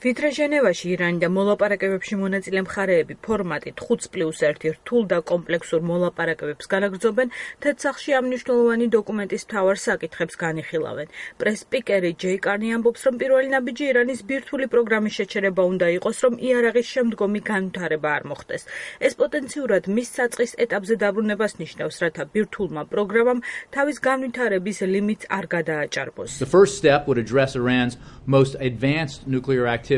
ვიდრე ჟენევაში ირანი და მოლაპარაკებებში მონაწილე მხარეები ფორმატით 5+1 რთულ და კომპლექსურ მოლაპარაკებებს განაგრძობენ, თეთრსახლში ამ მნიშვნელოვანი დოკუმენტის მთავარ საკითხებს განიხილავენ. პრეს-სპიკერი ჯეი კარნი ამბობს, რომ პირველი ნაბიჯი ირანის ბირთვული პროგრამის შეჩერება უნდა იყოს, რომ იარაღის შემდგომი განვითარება არ მოხდეს. ეს პოტენციურად მის საწყის ეტაპზე დაბრუნებას ნიშნავს, რათა ბირთვულმა პროგრამამ თავის განვითარების ლიმიტს არ გადააჭარბოს. The first step would address Iran's most advanced nuclear activities.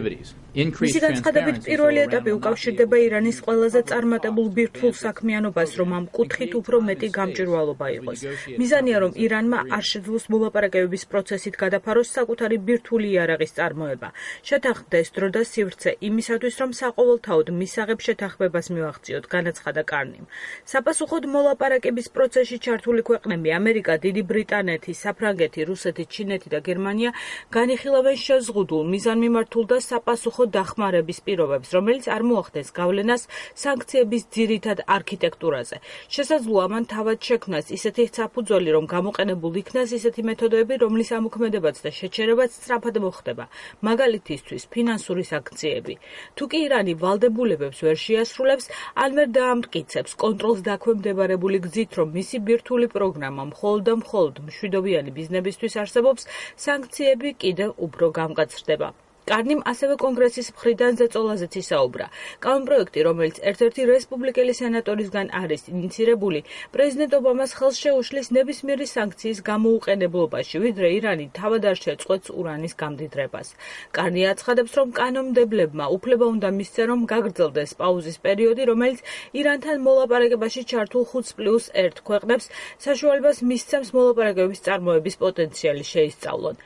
მისი განცხადებით პირველი ეტაპი უკავშირდება ირანის ყველაზე წარმატებულ ბირთვულ საქმიანობას, რომ ამ კუთხით უფრო მეტი გამჭვირვალობა იყოს. მიზანია, რომ ირანმა არ შეძლოს მოლაპარაკებების პროცესით გადაფაროს საკუთარი ბირთვული იარაღის წარმოება. შეთანხმდეს დრო და სივრცე იმისათვის, რომ საყოველთაოდ მისაღებ შეთანხმებას მივაღწიოთ, განაცხადა კარნიმ. საპასუხოდ მოლაპარაკების პროცესში ჩართული ქვეყნები ამერიკა, დიდი ბრიტანეთი, საფრანგეთი, რუსეთი, ჩინეთი და გერმანია განიხილავენ შეზღუდულ, მიზანმიმართულ და საპასუხო დახმარების პირობებს, რომელიც არ მოახდენს გავლენას სანქციების ძირითად არქიტექტურაზე. შესაძლოა მან თავად შექმნას ისეთი საფუძველი, რომ გამოყენებულ იქნას ისეთი მეთოდები, რომლის ამოქმედებაც და შეჩერებაც სწრაფად მოხდება, მაგალითისთვის ფინანსური სანქციები. თუ კი ირანი ვალდებულებებს ვერ შეასრულებს, ან ვერ დაამტკიცებს კონტროლს დაქვემდებარებული გზით, რომ მისი ბირთვული პროგრამა მხოლოდ და მხოლოდ მშვიდობიანი ბიზნესისთვის არსებობს, სანქციები კიდევ უფრო გამკაცრდება. კარნიმ ასევე კონგრესის მხრიდან ზეწოლაზეც ისაუბრა. კანონპროექტი, რომელიც ერთ-ერთი რესპუბლიკელი სენატორისგან არის ინიცირებული, პრეზიდენტ ობამას ხელს შეუშლის ნებისმიერი სანქციის გამოუყენებლობაში, ვიდრე ირანი თავად არ შეწყვეტს ურანის გამდიდრებას. კარნი აცხადებს, რომ კანონმდებლებმა უფლება უნდა მისცენ, რომ გაგრძელდეს პაუზის პერიოდი, რომელიც ირანთან მოლაპარაკებაში ჩართულ 5+1 ქვეყნებს საშუალებას მისცემს მოლაპარაკებების წარმოების პოტენციალი შეისწავლონ.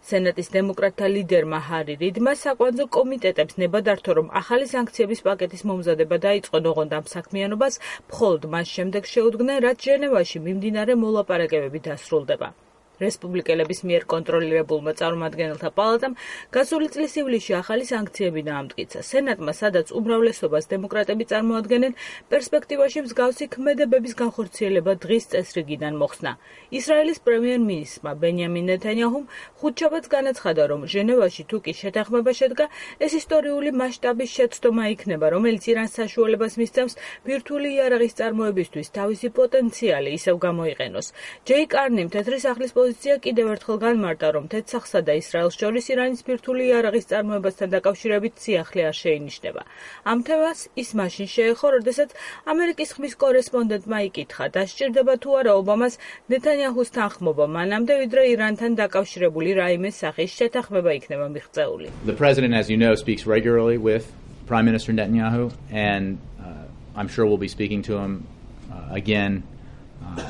სენატის დემოკრატთა ლიდერმა ჰარი რიდმა საკვანძო კომიტეტებს ნება დართო, რომ ახალი სანქციების პაკეტის მომზადება დაიწყონ, ოღონდ ამ საქმიანობას მხოლოდ მას შემდეგ შეუდგნენ, რაც ჟენევაში მიმდინარე მოლაპარაკებები დასრულდება. რესპუბლიკელების მიერ კონტროლირებულმა წარმომადგენელთა პალატამ გასული წლის ივლისში ახალი სანქციები დაამტკიცა. სენატმა, სადაც უმრავლესობას დემოკრატები წარმოადგენენ, პერსპექტივაში მსგავსი ქმედებების განხორციელება დღის წესრიგიდან მოხსნა. ისრაელის პრემიერ-მინისტრმა ბენიამინ ნეთანიაჰუმ ხუთშაბათს განაცხადა, რომ ჟენევაში თუ კი შეთანხმება შედგა, ეს ისტორიული მასშტაბის შეცდომა იქნება, რომელიც ირანს საშუალებას მისცემს ბირთვული იარაღის წარმოებისთვის თავისი პოტენციალი ისევ გამოიყენოს. ჯეი კარნიმ თეთრი სახლის პოზიცია კიდევ ერთხელ განმარტა, რომ თეთრსახლსა და ისრაელს შორის ირანის ბირთვული იარაღის წარმოებასთან დაკავშირებით სიახლე არ შეინიშნება. ამ თემას ის მაშინ შეეხო, როდესაც ამერიკის ხმის კორესპონდენტმა იკითხა, დასჭირდება თუ არა ობამას ნეთანიაჰუს თანხმობა მანამდე, ვიდრე ირანთან დაკავშირებული რაიმე სახის შეთანხმება იქნება მიღწეული. The president, as you know, speaks regularly with Prime Minister Netanyahu, and I'm sure we'll be speaking to him again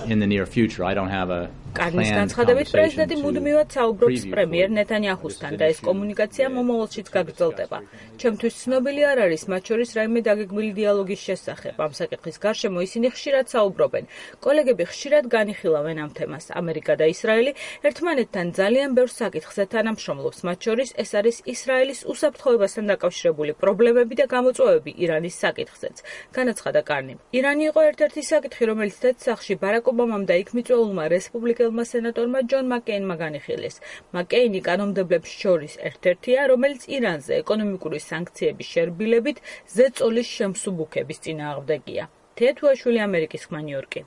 in the near future. I don't have a კარნის განცხადებით, პრეზიდენტი მუდმივად საუბრობს პრემიერ ნეთანიაჰუსთან და ეს კომუნიკაცია მომავალშიც გაგრძელდება. ჩემთვის ცნობილი არ არის მათ შორის რაიმე დაგეგმილი დიალოგის შესახებ. ამ საკითხის გარშემო ისინი ხშირად საუბრობენ. კოლეგები ხშირად განიხილავენ ამ თემას. ამერიკა და ისრაელი ერთმანეთთან ძალიან ბევრ საკითხზე თანამშრომლობს. მათ შორის ეს არის ისრაელის უსაფრთხოებასთან დაკავშირებული პრობლემები და გამოწვევები ირანის საკითხზეც. განაცხადა კარნიმ. ირანი იყო ერთ-ერთი საკითხი, რომელიც თეთრსახლში ბარაკ ობამამ და იქ მიწვეულმა რესპუბლიკელმა სენატორმა ჯონ მაკეინმა განიხილეს. მაკეინი კანონმდებლებს შორის ერთ-ერთია, რომელიც ირანზე ეკონომიკური სანქციების შერბილებით ზეწოლის შემსუბუქების წინააღმდეგია. თეთრუაშვილი, ამერიკის ხმა, ნიუ-იორკი.